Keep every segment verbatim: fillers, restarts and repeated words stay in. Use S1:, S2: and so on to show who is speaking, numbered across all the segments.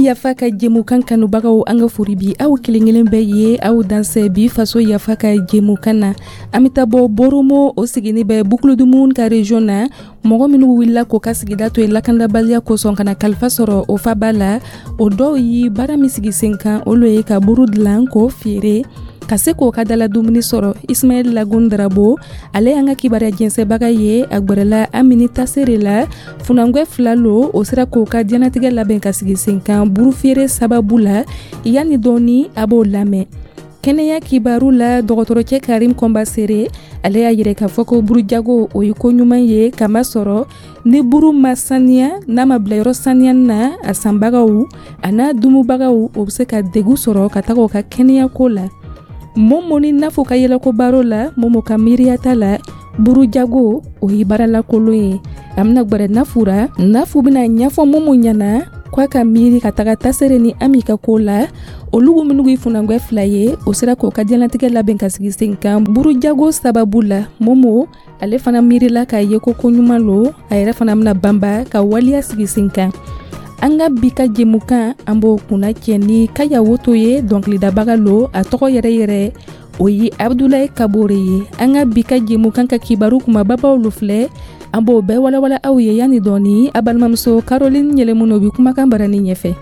S1: Yafa ka jɛmukan kanubagaw, an ka fori bi aw kelen kelen bɛɛ ye. Aw dansɛ bi Faso Yafa ka jɛmukan na. An bɛ taa bɔ Boromo, o sigini bɛ Boucle du Mouhoun ka région na. Mɔgɔ minnu wulila k'o ka sigida to yen lakandabaliya kosɔn ka na kalifa sɔrɔ o faba la, o dɔw ye baara min sigi sen kan, olu ye ka buru dilan k'o feere ka se k'o ka dala dumuni sɔrɔ. Ismaɛl Lagun Darabo, ale y'an ka kibaruya jɛnsɛbaga ye. A gwɛrɛla Amini Tasere la, funangwɛ fila lo, o sera k'o ka diɲɛnatigɛ labɛn ka sigi sen kan buru feere sababu la. Yanni dɔɔni, a b'o lamɛn. Kɛnɛya kibaru la, dɔgɔtɔrɔcɛ Karim Kɔnbasere, ale y'a yɛrɛ k'a fɔ ko burujago, o ye ko ɲuman ye, kamasɔrɔ ni buru ma saniya, n'a ma bila yɔrɔ saniya na, a sanbagaw a n'a dumubagaw, o bɛ se ka degu sɔrɔ ka taga o ka kɛnɛyako la. Momo ni Nafo ka yɛlɛko baro la, Momo ka miiriyata la, burujago, o ye baaralakolon ye. A bɛna gwɛrɛ Nafu ra. Nafu bɛna ɲɛfɔ Momo ɲɛna k'a ka miiri ka taga Tasere ni Ami ka ko la. Olugu minnu ye funangwɛ fila ye, o sera k'o ka diɲɛlatigɛ labɛn ka sigi sen kan burujago sababu la. Momo, ale fana miirila k'a ye ko ko ɲuman lo, a yɛrɛ fana bɛna banba ka waliya sigi sen kan. An ka bi ka jɛmukan, an b'o kunna cɛ ni Kaya Woto ye. Dɔnkilidabaga lo, a tɔgɔ yɛrɛ yɛrɛ, o ye Abudulayi Kabore ye. An ka bi ka jɛmukan ka kibaru kumababaw lo filɛ, an b'o bɛɛ walawala aw ye yanni dɔɔni. A balimamuso Caroline Yɛlɛmuno bi kumakan barani ɲɛfɛ.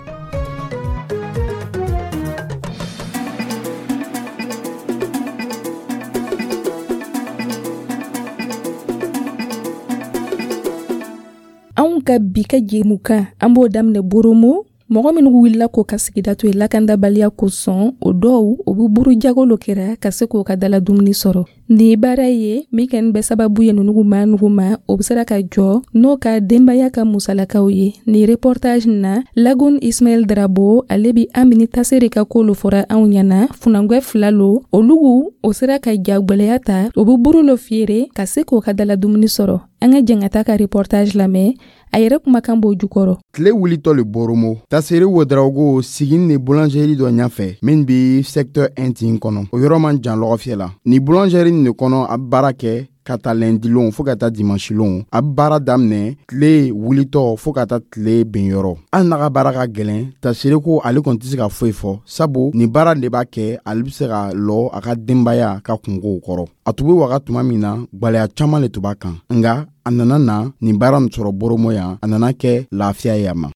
S1: Anw ka bi ka jɛmukan, an b'o daminɛ Boromo. Mɔgɔ minnu wulila k'o ka sigida to yen lakandabaliya kosɔn, o dɔw, o bɛ buru jago lo kɛra ka se k'o ka dala dumuni sɔrɔ. Nin baara ye min kɛni bɛ sababu ye nunugu ma nugu ma, o bɛ sera ka jɔ n'o ka denbaya ka musalakaw ye. Nin reportage na, Lagun Ismaɛl Darabo, ale bi Amini Tasere ka ko lo fɔra anw ɲɛna. Funangwɛ fila lo, olugu o sera ka jagwɛlɛya ta, o bɛ buru lo feere ka se k'o ka dala dumuni sɔrɔ. An ka jɛn ka taa ka reportage lamɛn, a yɛrɛ kumakan b'o jukɔrɔ.
S2: Tile wulitɔ le Boromo, Tasere Wodrago sigin ni boulangerie dɔ ɲɛfɛ min bi secteur un tin kɔnɔ, o yɔrɔ man jan lɔgɔfiyɛ la. Ni boulangerie nin de kɔnɔ, a bɛ baara kɛ ka taa lundi lon fɔɔ ka taa dimanche lon. A bɛ baara daminɛ tile wulitɔ fɔɔ ka taa tile benyɔrɔ. Hali n'a ka baara ka gɛlɛn, Tasere ko ale kɔni tɛ se ka foyi fɔ, sabu nin baara de b'a kɛ ale bɛ se ka lɔ a ka denbaya ka kungow kɔrɔ. A tun bɛ waga tuma min na, gwɛlɛya caman le tun b'a kan, nka a nana na nin baara nin sɔrɔ Boromo yan, a nana kɛ lafiya ye a ma.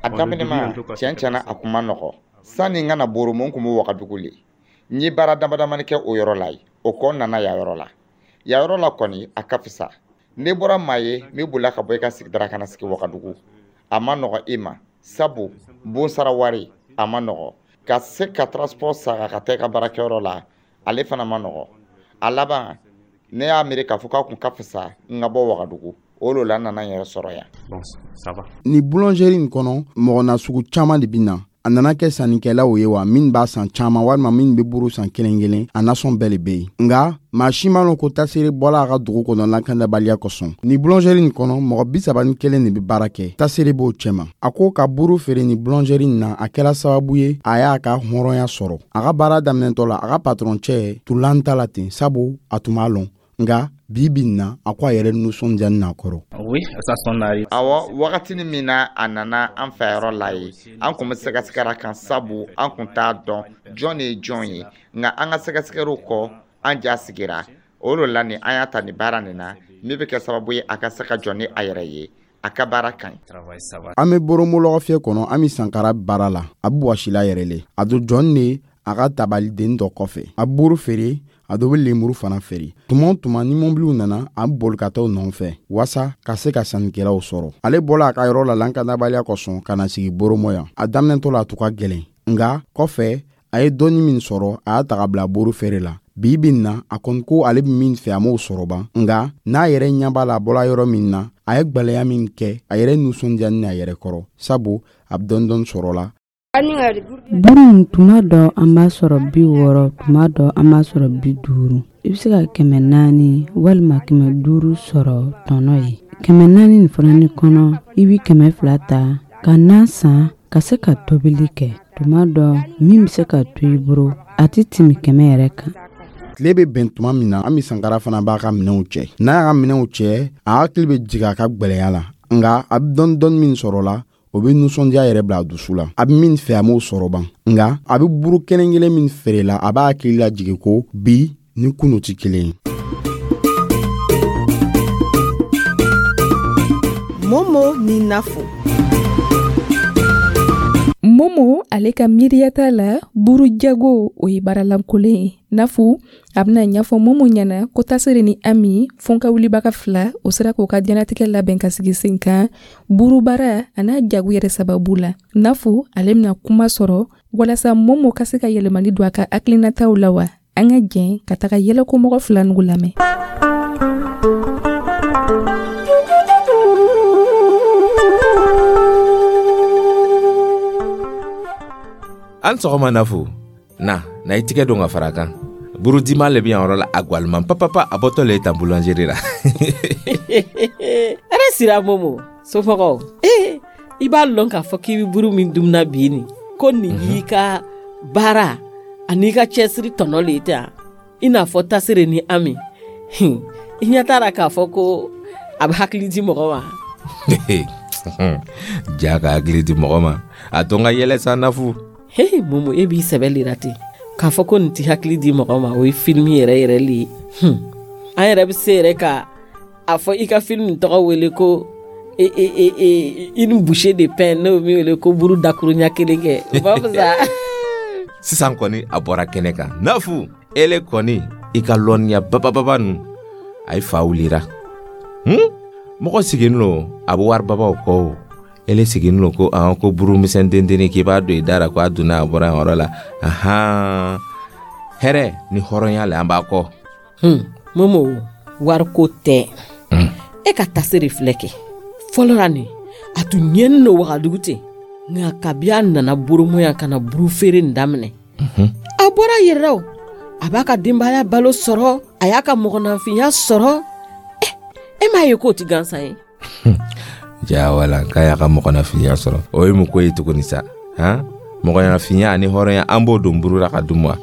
S3: A daminɛma, tiɲɛ tiɲɛna, a kun ma nɔgɔ. Sanni n ka na Boromo, n kun bɛ Wagadugu le. N ye baara dama damani kɛ o yɔrɔ la yen, o kɔ n nana yan yɔrɔ la. Yan yɔrɔ la kɔni, a ka fisa. N'i bɔra maa ye min bolila ka bɔ i ka sigida ka na sigi Wagadugu, a ma nɔgɔ i ma, sabu bon sara wari a ma nɔgɔ. Ka se ka transport sara ka taa i ka baarakɛyɔrɔ la, ale fana ma nɔgɔ. A laban, ne y'a miiri k'a fɔ k'a kun ka fisa n ka bɔ Wagadugu. O lo la n nana n yɛrɛ sɔrɔ yan.
S4: Bon, ça va.
S2: Ni boulangerie nin kɔnɔ, mɔgɔ nasugu caman de bɛ na. A nana kɛ sannikɛlaw ye wa min b'a san caman walima min bɛ buru san kelen kelen, a nasɔn bɛɛ le bɛ yen. Nka maa si m'a lɔn ko Tasere bɔla a ka dugu kɔnɔ lakandabaliya kosɔn. Ni boulangerie nin kɔnɔ, mɔgɔ bi saba ni kelen de bɛ baara kɛ, Tasere b'o cɛma. A ko ka buru feere ni boulangerie nin na, a kɛra sababu ye a y'a ka hɔrɔnya sɔrɔ. A ka baara daminɛtɔ la, a ka patɔrɔn cɛ tun lan ta la ten, sabu a tun b'a lɔn. Nka bi bi in na, a ko a yɛrɛ nisɔndiyani n'a kɔrɔ.
S4: Oui, ça son arrive.
S3: Awɔ, wagatinin min na a nana an fɛ yɔrɔ la ye, an kun bɛ sɛgɛsɛgɛra kan, sabu an kun t'a dɔn jɔn de ye jɔn ye. Nka an ka sɛgɛsɛgɛliw kɔ, an ja sigira. O de la nin an y'a ta nin baara nin na min bɛ kɛ sababu ye a ka se ka jɔ ni a yɛrɛ ye. A ka baara ka ɲi.
S4: Travail, ça va.
S2: An bɛ Boromo lɔgɔfiyɛ kɔnɔ, an bɛ Sankara baara la. A bɛ wɔsila yɛrɛ le. A don jɔn de a ka tabaliden dɔ kɔfɛ. A bɛ buru feere, a dɔ bɛ lemuru fana feere. Tuma o tuma ni mɔbiliw nana, a bɛ boli ka taa u nɔfɛ waasa ka se ka sannikɛlaw sɔrɔ. Ale bɔla a ka yɔrɔ la lakanabaliya kosɔn ka na sigi Boromo yan. A daminɛtɔ la, a tun ka gɛlɛn, nka kɔfɛ a ye dɔɔni min sɔrɔ, a y'a ta ka bila buru feere la. Bi bi in na, a kɔni ko ale bɛ min fɛ, a m'o sɔrɔ ban, nka n'a yɛrɛ ɲɛ b'a la a bɔla yɔrɔ min na, a ye gwɛlɛya min kɛ, a yɛrɛ nisɔndiyani n'a yɛrɛ kɔrɔ, sabu a bɛ dɔɔni dɔɔni sɔrɔ la.
S5: Buru in, tuma dɔ an b'a sɔrɔ bi wɔɔrɔ, tuma dɔ an b'a sɔrɔ bi duuru. I bɛ se ka kɛmɛ naani walima kɛmɛ duuru sɔrɔ tɔnɔ ye. Kɛmɛ naani nin fana ni kɔnɔ, i bɛ kɛmɛ fila ta ka na san ka se ka tobili kɛ. Tuma dɔ min bɛ se ka to i bolo, a tɛ tɛmɛ kɛmɛ yɛrɛ kan.
S2: Tile bɛ bɛn tuma min na, Ami Sankara fana b'a ka minɛnw cɛ. N'a y'a ka minɛnw cɛ, a hakili bɛ jigin a ka gwɛlɛya la. Nka a bɛ dɔɔni dɔɔni min sɔrɔ la, O bɛ nisɔndiya yɛrɛ bila a dusu la. A bɛ min fɛ, a m'o sɔrɔ ban, nka a bɛ buru kelen kelen min feere la, a b'a hakili lajigin ko bi ni kunu tɛ kelen ye.
S6: Momo ni Nafo.
S1: Momo ale ka miiriya t'a la, buru jago o ye baaralankolen ye. Nafu a bɛna ɲɛfɔ Momo ɲɛna ko Tasere ni Ami fɔnka wulibaga fila o sera k'o ka diɲɛlatigɛ labɛn ka sigi sen kan burubaara a n'a jago yɛrɛ sababu la. Nafu ale bɛna kuma sɔrɔ walasa Momo ka se ka yɛlɛmali don a ka hakilinataw la wa. An ka jɛn ka taga yɛlɛkomɔgɔ fila nugu lamɛn.
S7: An sɔgɔma Nafu. Na, na i tigɛ don ka fara kan. Burudima le bɛ yan yɔrɔ la, a gwaliman papapa, a bɔtɔ le ye tan boulangerie la.
S8: Ɛrɛ sira Momo, somɔgɔw. Eh, i b'a lɔn k'a fɔ k'i bɛ buru min dumuna bi nin, ko nin y'i ka baara ani i ka cɛsiri tɔnɔ le ye ten, i n'a fɔ Tasere ni Ami. I ɲɛ t'a la k'a fɔ ko a bɛ hakili di mɔgɔ ma.
S7: Ja ka hakili di mɔgɔ ma, a to n ka yɛlɛ sa Nafu.
S8: Hey, Momo, e b'i sɛbɛ lera ten k'a fɔ ko nin ti hakili di mɔgɔ ma, o ye filimi yɛrɛ yɛrɛ le ye. Hmm. An yɛrɛ bɛ se yɛrɛ ka a fɔ i ka filimi tɔgɔ wele ko e, e, e, e, une bouchée de pain, n'o min wele ko buru dakuruɲa kelen kɛ, o b'a fisa.
S7: Sisan kɔni a bɔra kɛnɛ kan. Nafu, ele kɔni i ka lɔnniya babababa nu, a ye fa wulira. Hmm? Mɔgɔ sigilen lo a bɛ wari babaw kɔ o. Ele sigilen lo ko an ko buru misɛn dendenni k'i b'a don i da la ko a donna a bɔra yan yɔrɔ la. Ahan, hɛrɛ ni hɔrɔnya le an b'a kɔ.
S8: Hmm. Momo, wariko tɛ.
S7: Mm.
S8: E ka Tasere filɛ kɛ fɔlɔ la nin, a tun ɲɛni no Wagadugu ten, nka kabi a nana Boromo yan ka na buru feere nin daminɛ, a bɔra a yɛrɛ la o. A b'a ka denbaya balo sɔrɔ, a y'a ka mɔgɔninfinya sɔrɔ. Eh, e m'a ye k'o ti gansan ye?
S7: Ja wala, k'a y'a ka mɔgɔninfinya sɔrɔ, o ye mun ko ye tuguni sa? Han, mɔgɔninfinya ani hɔrɔnya, an b'o don buru la ka dun wa?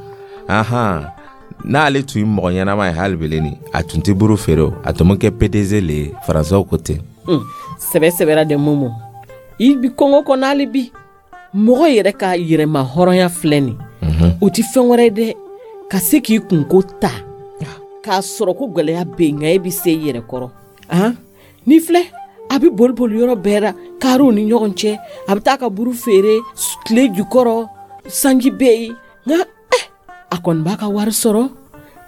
S7: Ahan, n'ale tun ye mɔgɔ ɲɛnama ye hali beleni, a tun tɛ buru feere o, a tun bɛ kɛ P D G le ye, faransɛw ko ten.
S8: Hmm. Sɛbɛ sɛbɛra dɛ Momo, i bi kɔngɔ kɔnɔ hali bi. Mɔgɔ yɛrɛ ka yɛrɛma hɔrɔnya filɛ nin, o ti fɛn wɛrɛ ye dɛ, ka se k'i kunko ta k'a sɔrɔ ko gwɛlɛya bɛ yen, nka e bɛ se i yɛrɛ kɔrɔ. Han, n'i filɛ a bɛ boli boli yɔrɔ bɛɛ la, kariw ni ɲɔgɔn cɛ, a bɛ taa ka buru feere tile jukɔrɔ, sanji bɛ yen, nka eh, a kɔni b'a ka wari sɔrɔ,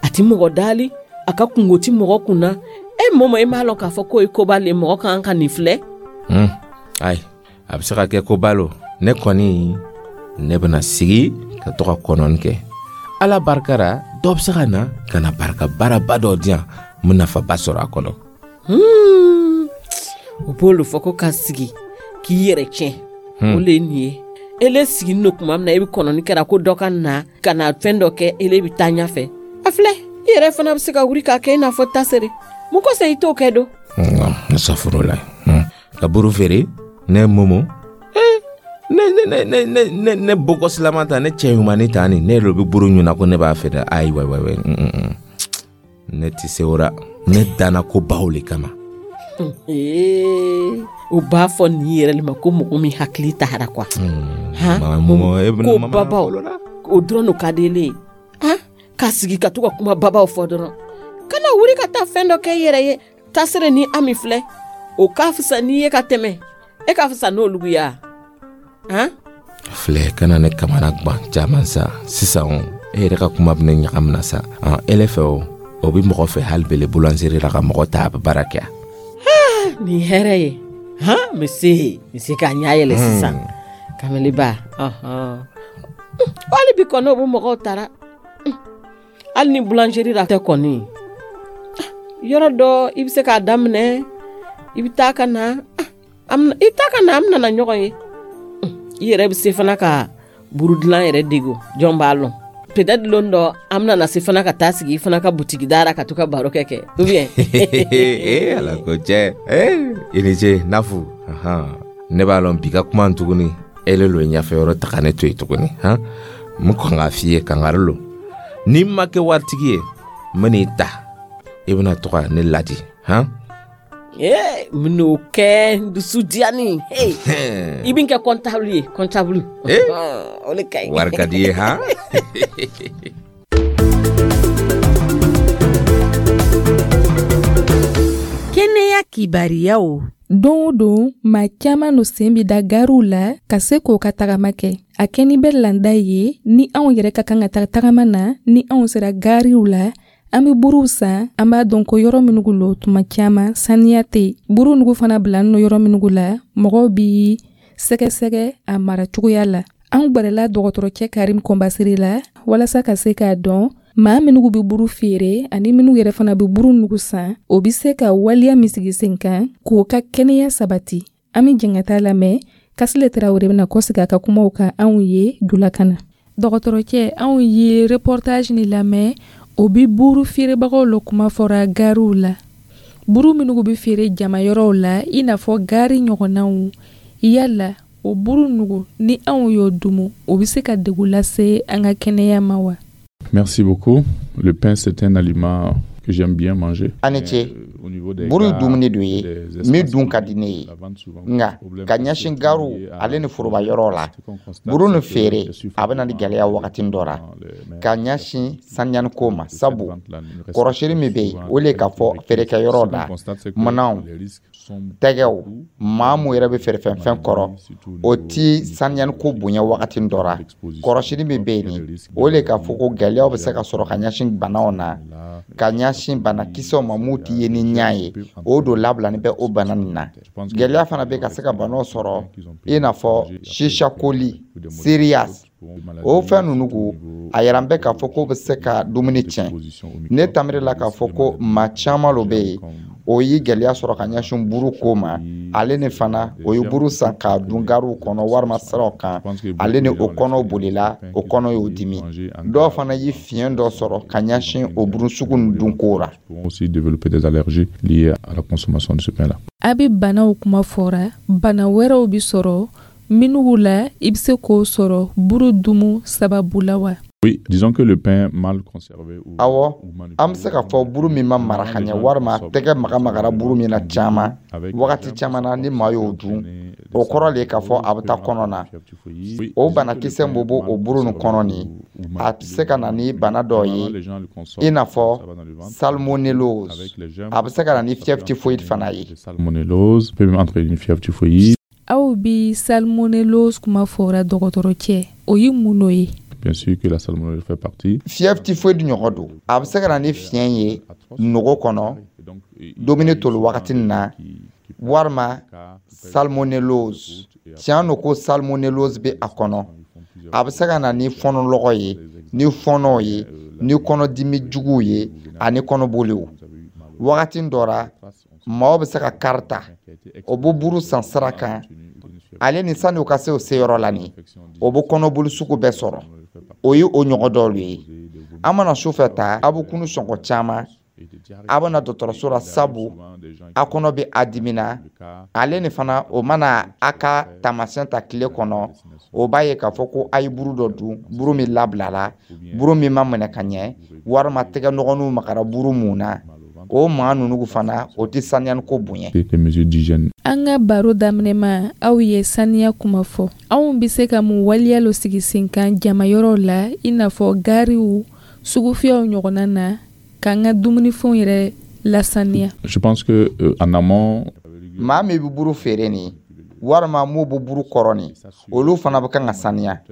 S8: a ti mɔgɔ dali, a ka kungo ti mɔgɔ kun na. E Momo, e m'a lɔn k'a fɔ k'o ye koba le, mɔgɔ kan ka nin filɛ?
S7: Hmm. Ayi, a bɛ se ka kɛ koba lo. Ne kɔni, ne bɛna sigi ka to ka kɔnɔni kɛ. Ala barika ra, dɔ bɛ se ka na ka na barika baaraba dɔ di yan, n bɛ nafaba sɔrɔ a kɔnɔ.
S8: Hmm. O b'olu fɔ ko ka sigi k'i yɛrɛ tiɲɛ. O le ye nin ye. Ele siginin don tuma min na, e bɛ kɔnɔni kɛra ko dɔ ka na ka na fɛn dɔ kɛ, ele bɛ taa ɲɛfɛ. A filɛ, i yɛrɛ fana bɛ se ka wuli k'a kɛ i n'a fɔ Tasere. Mun kosɔn i t'o kɛ don?
S7: Ne safuro la. Ka buru feere, ne Momo. Ne ne ne ne ne ne bɔgɔsilama ta, ne cɛ ɲumanni ta nin, ne yɛrɛ bɛ buru ɲuna ko ne b'a feere. Ayi, wayi wayi, ne tɛ se o la. Ne danna ko baw le kama.
S8: O b'a fɔ nin yɛrɛ le ma ko mɔgɔ min hakili taara quoi. Ko babaw, o dɔrɔn ka di ele ye. Han, ka sigi ka to ka kuma babaw fɔ dɔrɔn. Kana wuli ka taa fɛn dɔ kɛ i yɛrɛ ye. Tasere ni Ami filɛ, o ka fisa n'i ye ka tɛmɛ. E ka fisa n'olu ye wa? Han?
S7: Filɛ, kana ne kamana gan caman sa. Sisan o, e yɛrɛ ka kuma bɛ ne ɲagamina sa. Ele fɛ o, o bɛ mɔgɔ fɛ hali bele boulangerie la ka mɔgɔ ta a bɛ baara kɛ.
S8: Nin hɛrɛ ye. Han, monsieur, monsieur k'a ɲɛ yɛlɛ sisan. Kamaliba, ɔhɔn. Hali bi kɔni o bɛ mɔgɔw tara. Hali ni boulangerie la tɛ kɔni, yɔrɔ dɔ i bɛ se k'a daminɛ, i bɛ taa ka na, i taa ka na, an bɛna na ɲɔgɔn ye. I yɛrɛ bɛ se fana ka buru dilan yɛrɛ dege, jɔn b'a lɔn. Peut-être lon dɔ an bɛna na se fana ka taa sigi i fana ka butigi da la ka to ka baro kɛ kɛ, ou bien?
S7: Ee, ala ko cɛ. Ee, i ni ce Nafu. Ne b'a lɔn bi ka kuma tuguni, ele lo ɲɛfɛ yɔrɔ ta ka ne to yen tuguni. Han, n bɛ kɔn k'a f'i ye, kangari lo. N'i ma kɛ waritigi ye, n bɛ n'i ta, i bɛna to ka ne ladi. Han?
S8: Ee n bɛn'o kɛ n dusu diyani. Hey, i bɛ n kɛ comptable ye, comptable.
S7: Eh?
S8: O de ka ɲi.
S7: Wari ka di ye han.
S6: Kɛnɛya kibariyaw.
S1: Don o don, maa caman no sen bi da gariw la ka se k'o ka tagama kɛ. A kɛni bɛ landa ye ni anw yɛrɛ ka kan ka taga tagama na, ni anw sera gariw la, an be buruw san. An b'a dɔn ko yɔrɔ minugu lo, tuma caman saniya tɛ yen. Buru nugu fana bila nɔ yɔrɔ minugu la, mɔgɔw bi sɛgɛsɛgɛ a mara cogoya la. An gwɛrɛla dɔgɔtɔrɔcɛ Karim Kɔnbasiri la walasa ka se k'a dɔn maa minugu be buru feere ani minnu yɛrɛ fana be buru nugu san, o be se ka waleya min sigi sen kan k'o ka kɛnɛya sabati. An be jɛn ka taa lamɛn. Kasile Tarawele bɛna kɔsegi a ka kumaw kan anw ye julakan na. Dɔgɔtɔrɔcɛ, anw ye reportage ni lamɛn, o bi buru feerebagaw lo kuma fɔra gariw la. Buru minnu bɛ feere jama yɔrɔw la, i n'a fɔ gari ɲɔgɔnnaw, yala o buru nugu ni anw y'o dumu, o bɛ se ka degun lase an ka kɛnɛya ma wa?
S9: Merci beaucoup. Le pain, c'est un aliment que j'aime bien manger.
S3: A ni ce. Buru ye dumuni dɔ ye min dun ka di ne ye, nka ka ɲɛsin gariw ale ni foroba yɔrɔ la, buru ni feere a bɛ na ni gɛlɛya wagati dɔ la ka ɲɛsin saniyani ko ma, sabu kɔrɔsili min bɛ yen, o le k'a fɔ feerekɛyɔrɔ la, minɛnw, tɛgɛw, maa mun yɛrɛ bɛ feerefɛnfɛn kɔrɔ, o ti saniyani ko bonya wagati dɔ la. Kɔrɔsili min bɛ yen nin, o le k'a fɔ ko gɛlɛyaw bɛ se ka sɔrɔ ka ɲɛsin banaw na, ka ɲɛsin banakisɛw ma mun ti ye ni ɲɛ ye, o don labilani bɛ o bana nin na. Gɛlɛya fana bɛ ka se ka banaw sɔrɔ, i n'a fɔ sisakoli, sirias, o fɛn ninnu ko a yɛrɛ bɛ k'a fɔ k'o bɛ se ka dumuni tiɲɛ. Ne tamiri la k'a fɔ ko maa caman lo bɛ yen, o ye gɛlɛya sɔrɔ ka ɲɛsin buru ko ma, ale ni fana o ye buru san k'a dun gariw kɔnɔ walima siraw kan, ale ni o kɔnɔ bolila, o kɔnɔ y'o dimi. Dɔw fana ye fiɲɛ dɔ sɔrɔ ka ɲɛsin o buru sugu nin dunko la.
S9: Aussi développer des allergies liées à la consommation de ce pain-là.
S1: A bɛ banaw kuma fɔra, bana wɛrɛw bɛ sɔrɔ minnu la, i bɛ se k'o sɔrɔ buru dumu sababu la wa?
S9: Oui, disons que le pain mal conservé ou
S3: Awɔ, an bɛ se k'a fɔ buru min ma mara ka ɲɛ walima tɛgɛ maga magara buru min na caman wagati caman na, ni maa y'o dun, o kɔrɔ le k'a fɔ a bɛ taa kɔnɔ na. O banakisɛ min b'o o buru nin kɔnɔ nin, a bɛ se ka na ni bana dɔ ye, i n'a fɔ salmonellose. A bɛ se ka na ni fièvre typhoïde fana ye.
S9: Salmonellose peut même entraîner une fièvre typhoïde.
S1: Aw bi salmonellose kuma fɔra dɔgɔtɔrɔcɛ, o ye mun n'o ye?
S9: Bien sûr que la salmonellose fait partie.
S3: Fièvre typhoïde ɲɔgɔn don. A bɛ se ka na ni fiɲɛ ye nogo kɔnɔ dumuni toli wagati nin na, walima salmonellose. Tiɲɛ don ko salmonellose bɛ a kɔnɔ. A bɛ se ka na ni fɔnɔlɔgɔ ye, ni fɔnɔw ye, ni kɔnɔdimi juguw ye ani kɔnɔboliw. Wagati dɔ la, maaw bɛ se ka kari ta, o bɛ buru san sira kan, ale ni sani u ka se o seyɔrɔ la nin, o bɛ kɔnɔboli sugu bɛɛ sɔrɔ. O ye o ɲɔgɔn dɔw ye. An mana sufɛ ta, a bɛ kunu sɔngɔ caman, a bɛ na dɔgɔtɔrɔso la, sabu a kɔnɔ bɛ a dimina. Ale ni fana o mana a ka taamasiyɛn ta tile kɔnɔ, o b'a ye k'a fɔ ko a ye buru dɔ dun, buru min labilala, buru min ma minɛ ka ɲɛ, walima tɛgɛ nɔgɔninw magara buru mun na. O maa ninnu fana, o tɛ saniyani ko bonya.
S9: Des mesures d'hygiène.
S1: An ka baro daminɛ ma, aw ye saniya kuma fɔ. Anw bɛ se ka mun waleya lo sigi sen kan jama yɔrɔw la, i n'a fɔ gariw, sugufiyɛw ɲɔgɔnna na, k'an ka dumunifɛnw yɛrɛ lasaniya?
S9: Je pense que euh, en amont,
S3: Maa min bɛ buru feere nin, walima mun bɛ buru kɔrɔ nin, olu fana bɛ kan ka saniya.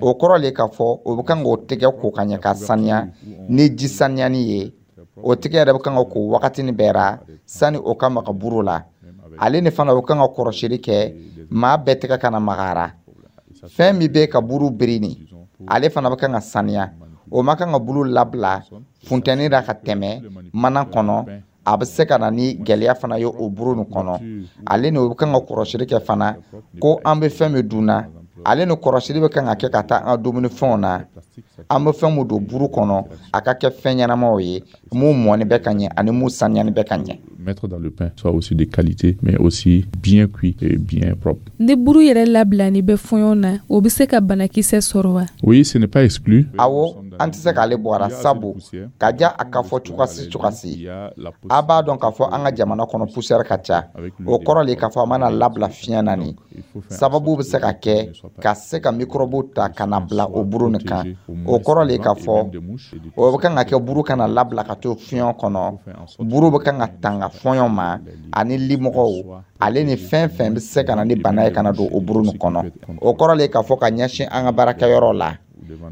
S3: O kɔrɔ le k'a fɔ o bɛ kan k'o tɛgɛ ko ka ɲɛ ka saniya ni ji saniyani ye. O tɛgɛ yɛrɛ bɛ kan ka ko wagati ni bɛɛ ra sani o ka maga buru la. Ale ni fana o kan ka kɔrɔsili kɛ, maa bɛɛ tɛgɛ kana magara. Fɛn min bɛ ka buru biri nin, ale fana bɛ kan ka saniya. O ma kan ka buru labila funtɛni la ka tɛmɛ mana kɔnɔ, a bɛ se ka na ni gɛlɛya fana ye o buru nin kɔnɔ. Ale ni o bɛ kan ka kɔrɔsili kɛ fana ko an bɛ fɛn min dun na, ale ni kɔrɔsili bɛ kan ka kɛ ka taa an ka dumunifɛnw na. An bɛ fɛn min don buru kɔnɔ, a ka kɛ fɛn ɲɛnamaw ye mun mɔni bɛ ka ɲɛ ani mun saniyani bɛ ka ɲɛ.
S9: Mettre dans le pain soit aussi de qualité, mais aussi bien cuit et bien propre.
S1: Ni buru yɛrɛ labilani bɛ fɔɲɔ na, o bɛ se ka banakisɛ sɔrɔ wa?
S9: Oui, ce n'est pas exclu.
S3: Awɔ. An tɛ se k'ale bɔ a la, sabu ka ja a ka fɔ cogosi cogosi, a b'a dɔn k'a fɔ an ka jamana kɔnɔ, poussière ka ca. O kɔrɔ le k'a fɔ a mana labila fiɲɛ na, nin sababu bɛ se ka kɛ ka se ka microbe ta ka na bila o buru nin kan. O kɔrɔ le k'a fɔ o bɛ kan ka kɛ, buru kana labila ka to fiɲɛ kɔnɔ. Buru bɛ kan ka tanga fɔɲɔ ma ani limɔgɔw, ale ni fɛn fɛn bɛ se ka na ni bana ye ka na don o buru nin kɔnɔ. O kɔrɔ le k'a fɔ ka ɲɛsin an ka baarakɛyɔrɔ la,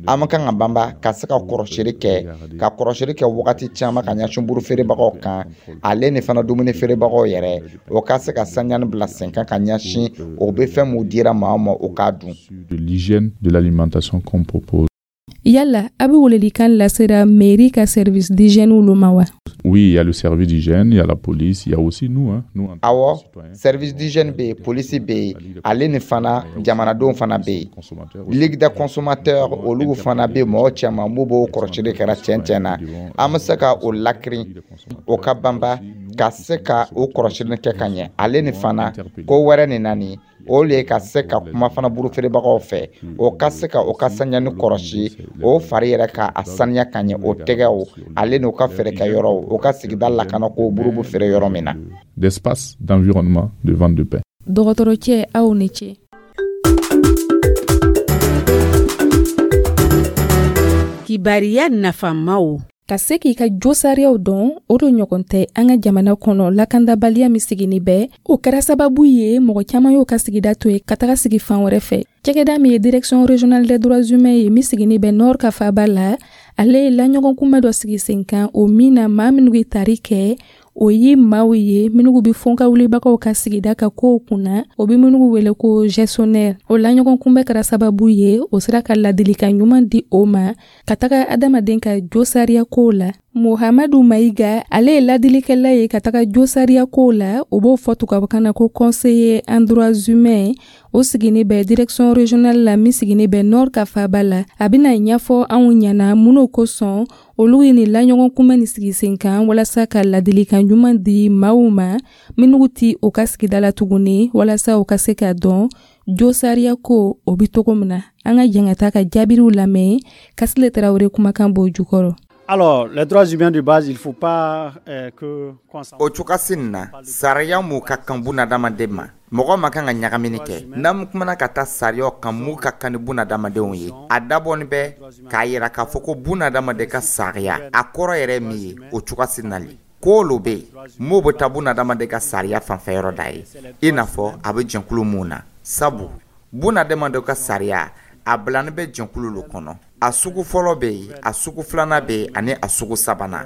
S3: an bɛ kan ka banba ka se ka kɔrɔsili kɛ, ka kɔrɔsili kɛ wagati caman ka ɲɛsin buru feerebagaw kan, ale ni fana dumuni feerebagaw yɛrɛ, o ka se ka saniyani bila sen kan ka ɲɛsin o bɛ fɛn mun dira maa ma, o k'a dun.
S9: De l'hygiène de l'alimentation qu'on propose.
S1: Yala a bɛ welelikan lasera mairie ka service d'hygiène olu ma wa?
S9: Oui, il y a le service d'hygiène, il y a la police, il y a aussi nous. Hein, nous en tant que
S3: Awɔ,
S9: citoyens.
S3: service d'hygiène bɛ yen, polisi bɛ yen, ale ni fana jamanadenw fana bɛ yen. Ligue des consommateurs, olu fana bɛ mɔgɔ caman mun b'o kɔrɔsili kɛra tiɲɛ tiɲɛ na. An bɛ se ka o lakirin, o ka banba ka se ka o kɔrɔsili kɛ ka ɲɛ. Ale ni fana ko wɛrɛ nin nani, o le ye ka se ka kuma fana buru feerebagaw fɛ, o ka se ka o ka saniyani kɔrɔsi, o fari yɛrɛ ka a saniya ka ɲɛ, o tɛgɛw, ale n'o ka feerekɛyɔrɔw, o ka sigida lakana ko buru bɛ feere yɔrɔ min na.
S9: D'espace, d'environnement, de vente de pain.
S1: Dɔgɔtɔrɔcɛ, aw ni ce.
S6: Kibariya nafamaw.
S1: Ka se k'i ka josariyaw dɔn, o do ɲɔgɔn tɛ an ka jamana kɔnɔ. Lakandabaliya min sigini bɛ, o kɛra sababu ye mɔgɔ caman y'o ka sigida to ye ka taga sigi fan wɛrɛ fɛ. Cɛgɛda min ye Direction régionale des droits humains ye, min sigini bɛ Nord ka faba la, ale ye laɲɔgɔnkunbɛ dɔ sigi sen kan, o min na maa minnu ye tari kɛ, o ye maaw ye minnu bɛ fɔnka wulibagaw ka sigida ka kow kunna, o bɛ minnu wele ko gestionnaire. O laɲɔgɔnkunbɛ kɛra sababu ye o sera ka ladilikan ɲuman di o ma ka taga adamaden ka josariya kow la. Mohamadu Mayiga, ale ye ladilikɛla ye ka taga josariya kow la, o b'o fɔ tubabukan na ko conseiller en droits humains, o sigini bɛ direction régionale la min sigini bɛ Nord ka faba la. A bɛna ɲɛfɔ anw ɲɛna minnu kosɔn olu ye nin laɲɔgɔnkunbɛn nin sigi sen kan, walasa ka ladilikan ɲuman di maaw ma minnu ti o ka sigida la tuguni, walasa u ka se k'a dɔn josariya ko o bɛ cogo min na. An ka jɛn ka taa ka jaabiriw lamɛn. Kasile Tarawele kumakan b'o jukɔrɔ.
S10: Alors, les droits humains de base, il ne faut pas euh, que...
S3: O cogosi nin na, sariya mun ka kan bunadamaden ma, mɔgɔ ma kan ka ɲagamini kɛ. N'an kumana ka taa sariyaw kan mun ka kan ni bunadamadenw ye, a dabɔni bɛ k'a yira k'a fɔ ko bunadamaden ka sariya, a kɔrɔ yɛrɛ min ye, o cogosi nali ko olu bɛ yen mun bɛ taa bunadamaden ka sariya fanfɛyɔrɔ da ye, i n'a fɔ a bɛ jɛnkulu mun na, sabu bunadamadenw ka sariya, a bilani bɛ jɛnkulu lo kɔnɔ. A sugu fɔlɔ bɛ yen, a sugu filanan bɛ yen, ani a sugu sabanan.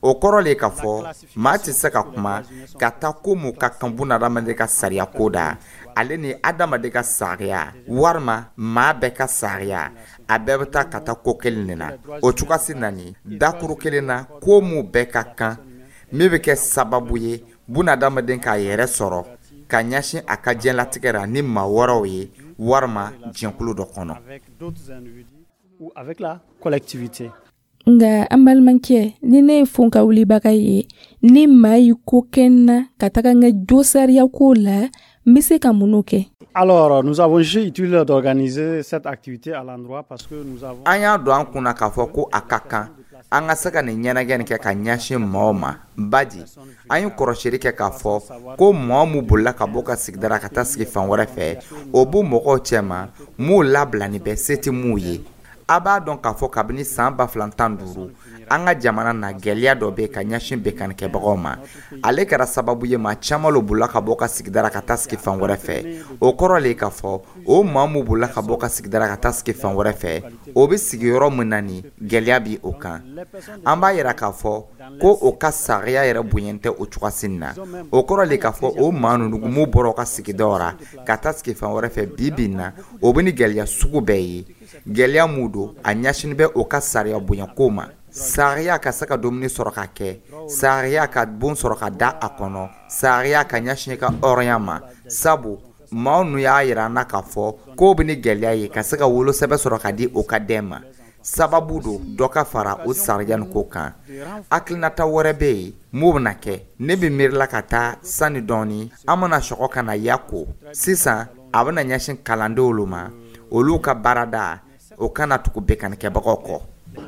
S3: O kɔrɔ le k'a fɔ maa tɛ se ka kuma ka taa ko mun ka kan bunadamaden ka sariya ko da, ale ni adamaden ka sariya walima maa bɛɛ ka sariya, a bɛɛ bɛ taa ka taa ko kelen de na. O cogosi nani dakuru kelen na, ko mun bɛɛ ka kan, min bɛ kɛ sababu ye bunadamaden k'a yɛrɛ sɔrɔ ka ɲɛsin a ka diɲɛlatigɛ la ni maa wɛrɛw ye walima jɛnkulu dɔ kɔnɔ.
S10: Ou avec la collectivité.
S1: Nga an balimakɛ, ni ne ye fonka wulibaga ye, ni maa y'i ko kɛ n na ka taga n ka josariya ko la, n bɛ se ka mun kɛ?
S10: Alors, nous avons jugé utile d'organiser cette activité à l'endroit parce que nous avons...
S3: An y'a don an kunna k'a fɔ ko a ka kan an ka se ka nin ɲɛnajɛ nin kɛ ka ɲɛsin maaw ma, baji an ye kɔrɔsili kɛ k'a fɔ ko mɔgɔ mun bolila ka bɔ ka sigida la ka taa sigi fan wɛrɛ fɛ, o b'u mɔgɔw cɛma m'u labila ni bɛɛ se tɛ m'u ye. A b'a dɔn k'a fɔ kabini san ba fila tan duuru, an ka jamana na, gɛlɛya dɔ bɛ ka ɲɛsin binkannikɛbagaw ma. Ale kɛra sababu ye maa caman lo bolila ka bɔ ka sigida la ka taa sigi fan wɛrɛ fɛ. O kɔrɔ le k'a fɔ o maa mun bolila ka bɔ ka sigida la ka taa sigi fan wɛrɛ fɛ, o bɛ sigi yɔrɔ min na ni gɛlɛya bi o kan. An b'a yira k'a fɔ ko o ka sariya yɛrɛ bonya tɛ o cogosi nin na. O kɔrɔ le k'a fɔ o maa ninnu mun bɔra u ka sigidaw ra ka taa sigi fan wɛrɛ fɛ, bi bi in na, o bɛ ni gɛlɛya sugu bɛɛ ye. Gɛlɛya mun don, a ɲɛsinin bɛ o ka sariya bonya ko ma: sariya ka se ka dumuni sɔrɔ ka kɛ, sariya ka bon sɔrɔ ka da a kɔnɔ, sariya ka ɲɛsin ka hɔrɔnya ma, sabu maaw nu y'a yira an na k'a fɔ k'o bɛ ni gɛlɛya ye ka se ka wolosɛbɛn sɔrɔ ka di o ka den ma. Sababu don dɔ ka fara o sariya nin ko kan. Hakilinata wɛrɛ bɛ yen mun bɛna kɛ, ne bɛ miirila ka taa sani dɔɔni, an bɛna sɔgɔ ka na ya ko sisan a bɛna ɲɛsin kalandenw ma, olu ka baarada o kana tugu binkannikɛbagaw kɔ.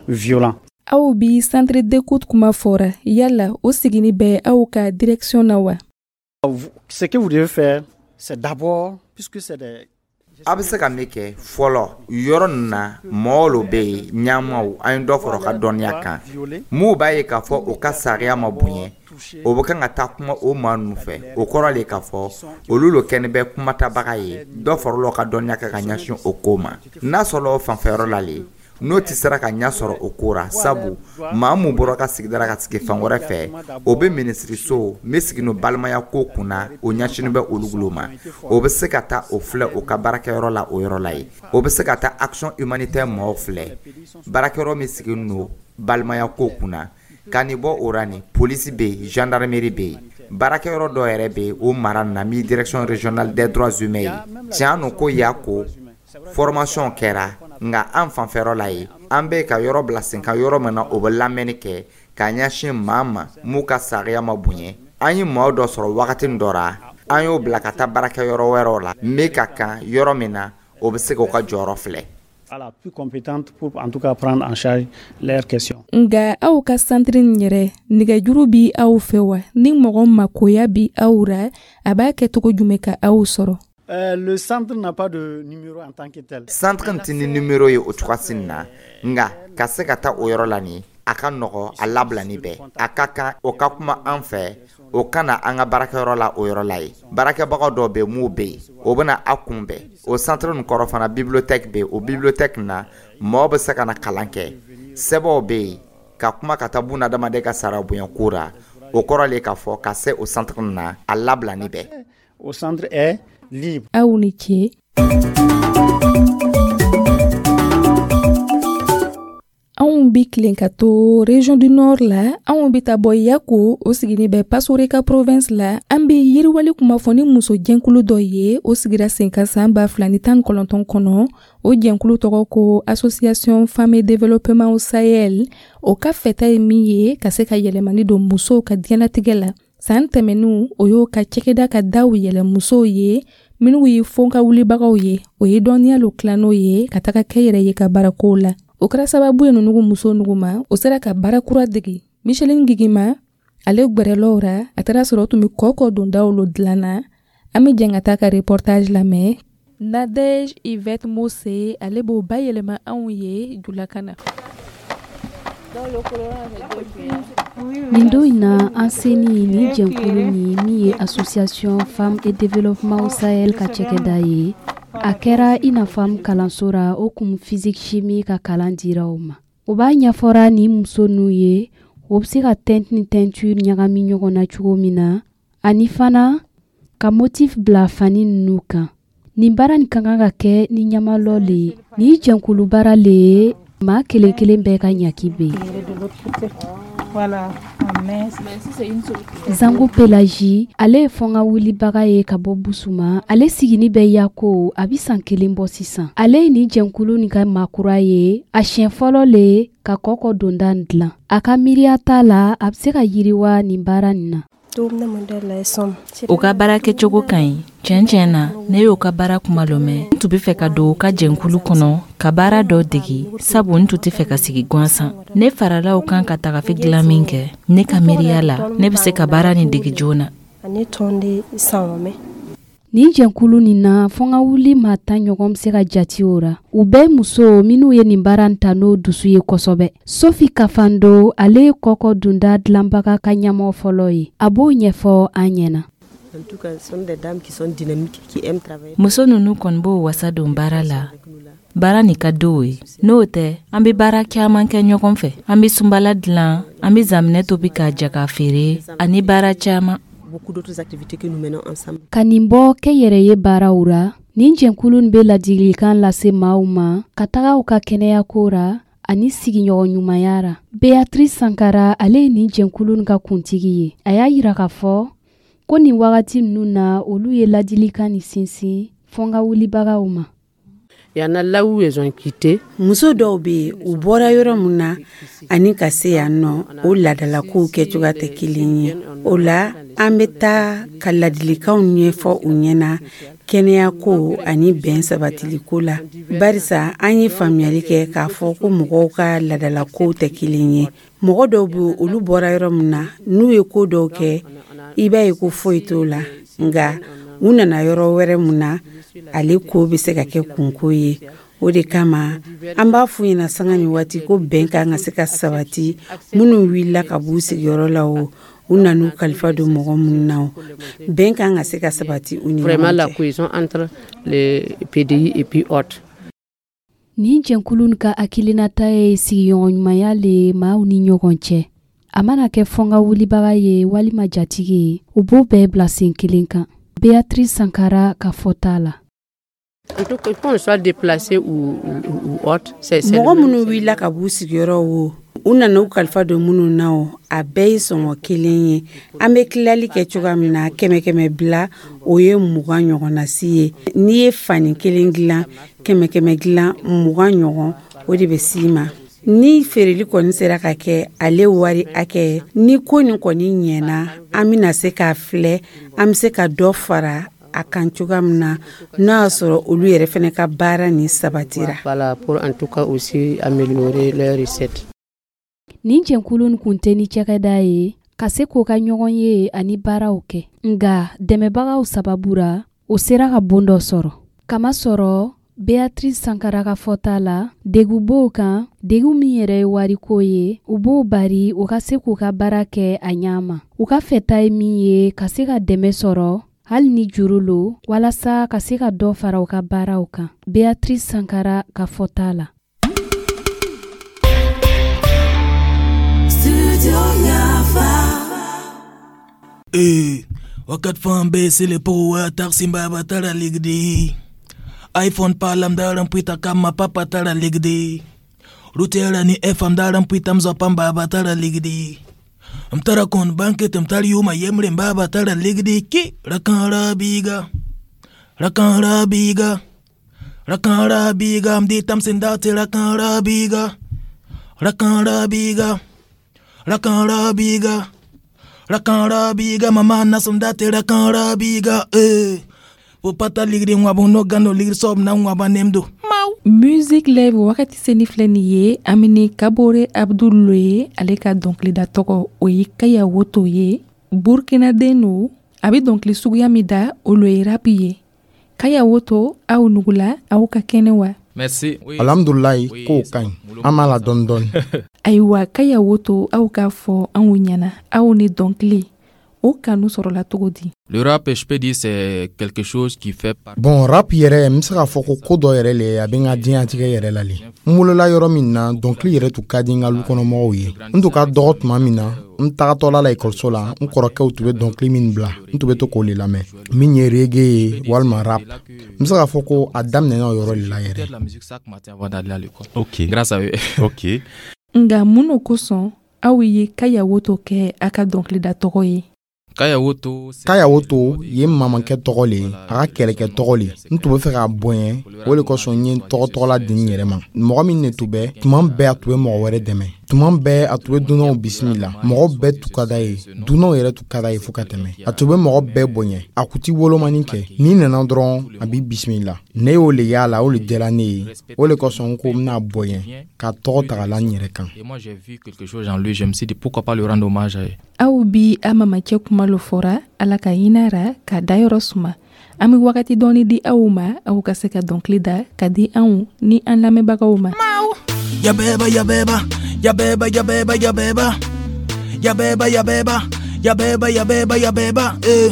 S10: violents.
S1: Aw bi centre d'écoute kuma fɔra, yala o sigini bɛ aw ka direction na wa?
S10: Ce que vous devez faire, c'est d'abord, puisque c'est des
S3: A bɛ se ka min kɛ fɔlɔ yɔrɔ nin na, mɔgɔw lo bɛ yen, ɲɛmaw, an ye dɔ fara u ka dɔnniya kan. M'u b'a ye k'a fɔ u ka sariya ma bonya, o bɛ kan ka taa kuma o maa ninnu fɛ. O kɔrɔ le k'a fɔ olu lo kɛni bɛ kumatabaga ye. Dɔ farala u ka dɔnniya kan ka ɲɛsin o ko ma. N'a sɔrɔla o fanfɛyɔrɔ la le, n'o tɛ sera ka ɲɛ sɔrɔ o ko ra, sabu maa mun bɔra ka sigida la ka sigi fan wɛrɛ fɛ, o bɛ minisiriso min sigi no balimaya ko kunna, o ɲɛsinin bɛ olu bolo ma, o bɛ se ka taa o filɛ o ka baarakɛyɔrɔ la o yɔrɔ la yen. O bɛ se ka taa Action humanitaire mɔgɔw filɛ, baarakɛyɔrɔ min sigi no balimaya ko kunna. Ka nin bɔ o ra, ni polisi bɛ yen, gendarmerie bɛ yen, baarakɛyɔrɔ dɔ yɛrɛ bɛ yen o mara na min Direction régionale des droits humains ye. Tiɲɛ no ko y'a ko formation kɛra, nka an fanfɛyɔrɔ la yen, an bɛ ka yɔrɔ bila sen kan yɔrɔ min na, o bɛ lamɛnni kɛ k'a ɲɛsin maa ma m'u ka sariya ma bonya. An ye maaw dɔ sɔrɔ wagati dɔ ra, an y'o bila ka taa baarakɛyɔrɔ wɛrɛw la min ka kan, yɔrɔ min na o bɛ se k'o ka jɔyɔrɔ filɛ.
S10: Voilà, plus compétente pour en tout cas prendre en charge leurs questions.
S1: Nga aw ka centre nin yɛrɛ, nɛgɛjuru bi aw fɛ wa? Ni mɔgɔ makoya bi aw ra, a b'a kɛ cogo jumɛn ka aw sɔrɔ?
S10: Euh, le centre n'a pas de numéro en tant que tel.
S3: Centre tɛ ni numéro ye o cogoya na, nka ka se ka taa o yɔrɔ la nin, a ka nɔgɔ, a labilani bɛɛ a ka kan, o ka kuma an fɛ, o ka na an ka baarakɛyɔrɔ la o yɔrɔ la yen. Baarakɛbagaw dɔw bɛ mun bɛ yen, o bɛna a kunbɛn. O centre nin kɔrɔ fana, bibliothèque bɛ yen. O bibliothèque na, mɔgɔw bɛ se ka na kalan kɛ, sɛbɛnw bɛ yen ka kuma ka taa buna adamaden ka sara bonya ko ra. O kɔrɔ le k'a fɔ ka se o centre na, a labilani bɛɛ.
S10: Au centre est libre.
S1: Aw ni ce. Anw bi tilen ka to Région du Nord la. Anw bi ta bɔ Yako, o sigini bɛ Passoré ka province la. An bi yiriwali kuma fɔ ni muso jɛnkulu dɔ ye, o sigira sen kan san ba fila ni tan kɔnɔntɔn kɔnɔ. O jɛnkulu tɔgɔ ko Association Femmes et Développement au Sahel. O ka fɛta ye min ye, ka se ka yɛlɛmani don musow ka diɲɛlatigɛ la. San tɛmɛninw, o y'o ka cɛkɛda ka daw yɛlɛ musow ye minnu ye fɔnka wulibagaw ye. O ye dɔnniya lo tilan n'o ye ka taga kɛ yɛrɛ ye ka baarakow la. O kɛra sababu ye nunugu muso nugu ma, o sera ka baara kura degi. Micheline Gigima ale gwɛrɛlɔw ra, a taara sɔrɔ o tun bɛ kɔkɔ dondaw lo dilan na. An bɛ jɛn ka taa ka reportage lamɛn. Nadege Yvette Mose ale b'o bayɛlɛma anw ye julakan na.
S11: Nin don in na, an seni nin jɛnkulu nin min ye Association Femmes et Développement au Sahel ka cɛkɛda ye, a kɛra i n'a fɔ an kalanso ra, o kun physique chimie ka kalan dira o ma. O b'a ɲɛfɔra nin muso ninnu ye, o bɛ se ka teinte ni teinture ɲagami ɲɔgɔn na cogo min na, ani fana ka motif bila fani ninnu kan. Nin baara nin ka kan ka kɛ ni ɲamalɔ le ye. Nin jɛnkulu baara le ye, maa kelen kelen bɛɛ ka ɲaki bɛ yen. Zango Pelagie, ale ye fɔnga wulibaga ye ka bɔ Busuma. Ale sigini bɛ Yako, a bɛ san kelen bɔ sisan. Ale ye nin jɛnkulu nin ka maakura ye, a siɲɛ fɔlɔ le ka kɔkɔ donda dilan. A ka miiriya t'a la, a bɛ se ka yiriwa nin baara nin na.
S12: U ka baara kɛcogo ka ɲi. Tiɲɛ tiɲɛ na, ne y'o ka baara kuma lɔ mɛn. N tun bɛ fɛ ka don u ka jɛnkulu kɔnɔ ka baara dɔ degi, sabu n tun tɛ fɛ ka sigi gansan. Ne farala u kan ka tagafe dilan min kɛ, ne ka miiriya la, ne bɛ se ka baara nin degi joona.
S11: Nin jɛnkulu nin na, fɔnga wuli maa tan ɲɔgɔn bɛ se ka jati o ra. U bɛɛ muso minnu ye nin baara ta n'o dusu ye kosɛbɛ. Sophie Kafando, ale ye kɔkɔ dunda dilanbaga ka ɲɛmɔgɔ fɔlɔ ye. A b'o ɲɛfɔ an ɲɛna.
S12: Muso ninnu kɔni b'o wasa don baara la. Baara nin ka d'o ye. N'o tɛ, an bɛ baara caman kɛ ɲɔgɔn fɛ. An bɛ sunbala dilan, an bɛ zaminɛ tobi k'a ja k'a feere, ani baara caman.
S11: Ka nin bɔ kɛnyɛrɛye baaraw ra, nin jɛnkulu nin bɛ ladilikan lase maaw ma ka taga u ka kɛnɛyako ra ani sigiɲɔgɔn ɲumanya ra. Beatrice Sankara, ale ye nin jɛnkulu nin ka kuntigi ye. A y'a yira k'a fɔ ko nin wagati ninnu na, olu ye ladilikan nin sinsin fɔnga wulibagaw ma.
S6: Muso dɔw bɛ yen, u bɔra yɔrɔ min na ani ka se yan nɔ, o laadalakow kɛcogoya tɛ kelen ye. O la, an bɛ taa ka ladilikanw ɲɛfɔ u ɲɛna Kɛnɛyako ani bɛn sabatiliko la, barisa an ye faamuyali kɛ k'a fɔ ko mɔgɔw ka laadalakow tɛ kelen ye. Mɔgɔ dɔw bɛ, olu bɔra yɔrɔ min na, n'u ye ko dɔw kɛ, i b'a ye ko foyi t'o la, nka u nana yɔrɔ wɛrɛ mun na, ale ko bɛ se ka kɛ kunko ye. O de kama an b'a f'u ɲɛna sanga ni waati ko bɛn kan ka se ka sabati. Minnu wulila ka b'u sigiyɔrɔ la, o u nan'u kalifa don mɔgɔ minnu na, o bɛn kan ka se ka sabati u ni
S13: Vraiment la
S6: ɲɔgɔn cɛ.
S13: Cohésion entre les P D I et puis autres.
S11: Nin jɛnkulu ka hakilinata ye sigiɲɔgɔnɲumanya le maaw ni ɲɔgɔn cɛ. A mana kɛ fɔnga wulibaga ye walima jatigi ye, u b'o bɛɛ bila sen kelen kan. Beatrice Sankara ka fɔta la.
S13: En tout cas, qu'on soit déplacé ou, ou, ou autre, c'est c'est
S6: Mɔgɔ
S13: le même.
S6: minnu wulila ka b'u sigiyɔrɔ, o u nana u kalifa don minnu na, o a bɛɛ ye sɔngɔ kelen ye. An bɛ tilali kɛ cogoya min na, kɛmɛ kɛmɛ bila, o ye mugan ɲɔgɔnnasi ye. N'i ye fani kelen dilan, kɛmɛ kɛmɛ dilan mugan ɲɔgɔn, o de bɛ s'i ma. Ni feereli kɔni sera ka kɛ ale wari hakɛ, ni ko nin kɔni ɲɛna, an bɛna se k'a filɛ an bɛ se ka dɔ fara a kan cogoya min na, n'a y'a sɔrɔ olu yɛrɛ fana ka baara nin sabatira.
S13: Voilà, pour en tout cas aussi améliorer leurs recettes.
S11: Nin jɛnkulu kun tɛ ni cakɛda ye ka se k'o ka ɲɔgɔn ye ani baaraw kɛ, nga dɛmɛbagaw sababu ra, o sera ka bon dɔ sɔrɔ. Kamasɔrɔ Beatrice Sankara ka fɔta la, degu b'o kan, degu min yɛrɛ ye wariko ye, u b'o bari u ka se k'u ka baara kɛ a ɲa ma. U ka fɛta ye min ye, ka se ka dɛmɛ sɔrɔ, hali ni juru lo, walasa ka se ka dɔ fara u ka baaraw kan. Beatrice Sankara ka fɔta la.
S14: Studio Yafa.
S15: Eh, wakat fan be sele po taxi baba tara ligdi. iPhone palam daram pita kama papa tara ligdi. Rutera ni F M daram pita mzopa baba tara ligdi. Mtara kon banket mtari yuma yemre baba tara ligdi ki rakan rabiga. Rakan rabiga. Rakan rabiga mdi tamsin dati rakan rabiga. Rakan rabiga. Rakan rabiga. Rakan rabiga mama nasum dati rakan rabiga eh. Popata ligri ngwabu no gano ligri sob na ngwaba nemdo.
S1: Music Live wagati seni filɛ nin ye. An bɛ ni Kabore Abdul ye. Ale ka dɔnkilida tɔgɔ, o ye Kaya Woto ye. Burkinaden no. A bɛ dɔnkili suguya min da, o lo ye rap ye. Kaya Woto, aw nugula, aw ka kɛnɛ wa?
S4: Merci. Oui.
S2: Alhamdulilayi, kow ka ɲi, an b'a la dɔɔni dɔɔni.
S1: Ayiwa, Kaya Woto, aw k'a fɔ anw ɲɛna, aw ni dɔnkili o kanu sɔrɔla cogo di?
S4: Le rap, je peux dire, c'est quelque chose qui fait partie.
S2: Bon, rap yɛrɛ, n bɛ se k'a fɔ ko ko dɔ yɛrɛ le, a bɛ n ka diɲɛlatigɛ yɛrɛ la le. N wolola yɔrɔ min na, dɔnkili yɛrɛ tun ka di n ka lukɔnɔmɔgɔw ye. N tun ka dɔgɔ tuma min na, n tagatɔla la ekɔliso la, n kɔrɔkɛw tun bɛ dɔnkili min bila, n tun bɛ to k'o le lamɛn, min ye reggae ye walima rap. N bɛ se k'a fɔ ko a daminɛna o yɔrɔ de la yɛrɛ.
S4: La musique, ça matin avant d'aller à l'école.
S7: Ok.
S4: Grâce à eux.
S7: Ok.
S1: Nga mun no kosɔn aw ye Kaya Woto kɛ a ka dɔnkilida tɔgɔ ye?
S4: Kaya Woto, c'est
S2: Kaya Woto ye n mamakɛ tɔgɔ le ye, a ka kɛlɛkɛ tɔgɔ le. N tun bɛ fɛ k'a bonya, o le kosɔn n ye tɔgɔ tɔgɔla di n yɛrɛ ma. Mɔgɔ min ne tun bɛ tuma bɛɛ, a tun bɛ mɔgɔ wɛrɛ dɛmɛ tuma bɛɛ, a tun bɛ dunanw bisimila, mɔgɔ bɛɛ tun ka d'a ye, dunanw yɛrɛ tun ka d'a ye fo ka tɛmɛ. A tun bɛ mɔgɔ bɛɛ bonya, a kun ti wolomani kɛ. N'i nana dɔrɔn, a b'i bisimila. Ne y'o le y'a la, o le diyara ne ye. O le kosɔn n ko n bɛna bonya ka tɔgɔ ta ka la n yɛrɛ kan.
S4: Et moi, j'ai vu quelque chose en lui. Je me suis dit, pourquoi pas lui rendre hommage.
S1: Aw bi a mamacɛ kuma lo fɔra. Ala ka hinɛ ra, ka dayɔrɔ suma. An be wagati dɔɔni di aw ma, aw ka se ka dɔnkili da ka di anw ni an lamɛnbagaw ma.
S15: Yabeba yabeba yabeba yabeba yabeba yabeba yabeba yabeba yabeba yabeba eh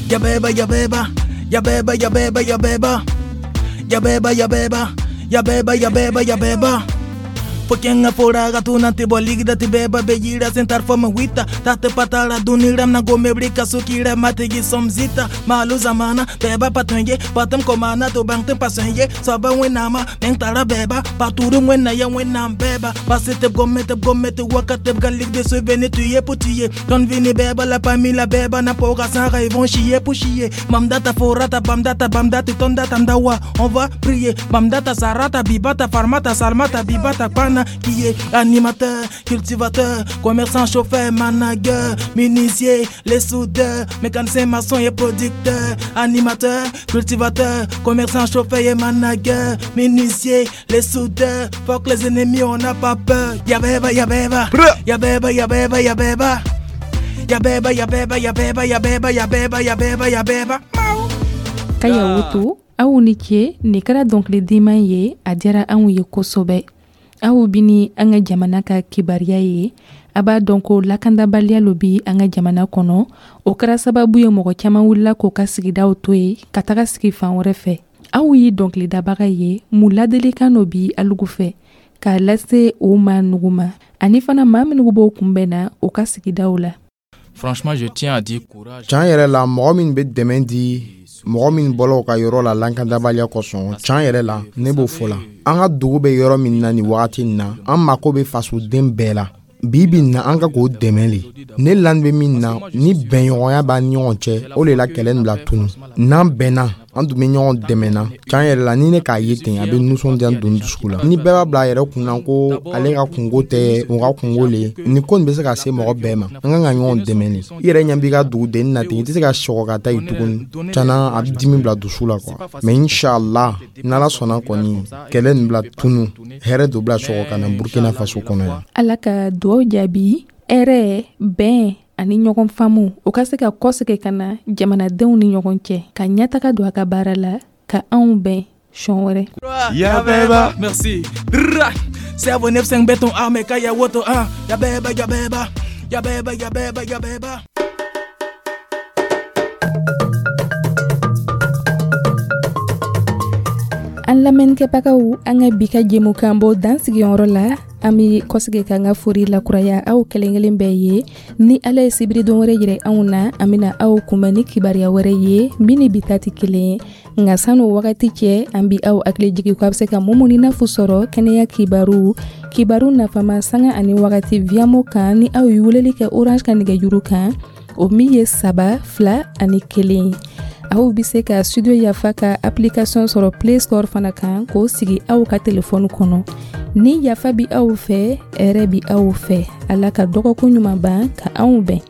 S15: yabeba yabeba yabeba yabeba yabeba yabeba yabeba yabeba yabeba yabeba. Pokenga fora tuna te boligda te beba bejira sentar fama wita tate patara dunira na gome brika sukira mategi somzita malu zamana beba patunye patam komana to bang tem pasenye saba wenama meng tara beba paturu wena ya wena beba pasete gome te gome te wakate galik de se vene tuye pour tuer ton vini beba la pamila beba na poga sara ils vont chier pour chier mamdata forata bamdata bamdata tonda tamdawa on va prier bamdata sarata bibata farmata salmata bibata kwana. Y'en a qui est animateur, cultivateur, commerçant, chauffeur, manager, menuisier, les soudeurs, mécanicien, maçon et producteur, animateur, cultivateur, commerçant, chauffeur et manager, menuisier, les soudeurs. Fuck les ennemis, on n'a pas peur. Yabeba, yabeba, yabeba, yabeba, yabeba. Yabeba, yabeba, yabeba, yabeba, yabeba, yabeba, yabeba.
S1: Kaya Woto, aw ni ce. Nin kɛra dɔnkilidiman ye, a diyara anw ye kosɛbɛ. Aw bi ni an ka jamana ka kibaruya ye. A b'a dɔn ko lakandabaliya lo bi an ka jamana kɔnɔ. O kɛra sababu ye, mɔgɔ caman wulila k'o ka sigidaw to ye ka taga sigi fan wɛrɛ fɛ. Aw ye dɔnkilidabaga ye, mun ladilikan dɔ bi alugu fɛ k'a lase o ma nugu ma, ani fana maa minnu b'o kunbɛn na u ka sigidaw la?
S4: Franchement, je tiens à dire courage.
S2: Can yɛrɛ la, mɔgɔ min bɛ dɛmɛ di mɔgɔ min bɔla u ka yɔrɔ la lankandabaliya kosɔn, can yɛrɛ la, ne b'o fɔ la. An ka dugu bɛ yɔrɔ min na nin wagati in na, an mako bɛ fasoden bɛɛ la bi bi na, an ka k'o dɛmɛ le. Ne lani bɛ min na, ni bɛnɲɔgɔnya b'an ni ɲɔgɔn cɛ, o de la kɛlɛ nin bila tunu. N'an bɛnna, an tun bɛ ɲɔgɔn dɛmɛ na. Can yɛrɛ la, ni ne k'a ye ten, a bɛ nisɔndiya don dusukun la. Ni bɛɛ b'a bila a yɛrɛ kun na ko ale ka kungo tɛ u ka kungo le, nin ko nin bɛ se ka se mɔgɔ bɛɛ ma. An kan ka ɲɔgɔn dɛmɛ le. I yɛrɛ ɲɛ b'i ka duguden na ten, i tɛ se ka sɔgɔ ka taa yen tuguni. Tiɲɛna, a bɛ dimi bila dusu la quoi. Mais inshallah, n'Ala sɔnna kɔni, kɛlɛ nin bila tunu, hɛrɛ dɔ bila sɔgɔ ka na Burkina Faso kɔnɔ yan.
S1: Ala ka duwaw jaabi. Hɛrɛ, bɛn ani ɲɔgɔn faamu, o ka se ka kɔsegin ka na jamanadenw ni ɲɔgɔn cɛ, ka ɲɛtaga don a ka baara la, ka anw bɛn sɔn wɛrɛ.
S15: Yabeba, merci. Cerveau neuf cinq béton armé, Kaya Woto un. Yabeba, yabeba, yabeba, yabeba, yabeba.
S1: An lamɛnnikɛbagaw, an ka bi ka jɛmukan bɔ dan sigiyɔrɔ la. An bɛ kɔsigi k'an ka fori lakuraya aw kelen kelen bɛɛ ye. Ni Ala ye sibiridon wɛrɛ yɛrɛ anw na, an bɛna aw kunbɛn ni kibaruya wɛrɛ ye min ni bi ta tɛ kelen ye. Nka san'o wagati cɛ, an bi aw hakili jigin ko a bɛ se ka Mumuni Nafu sɔrɔ kɛnɛya kibaru, kibaru nafama, sanga ani wagati Viamo kan, ni aw ye weleli kɛ Orange ka nɛgɛjuru kan, o min ye saba fila ani kelen. Aw bɛ se ka Studio Yafa ka application sɔrɔ Play Store fana kan, k'o sigi aw ka telefɔni kɔnɔ. Ni yafa bi aw fɛ, hɛrɛ bi aw fɛ. Ala ka dɔgɔkun ɲuman ban ka anw bɛn.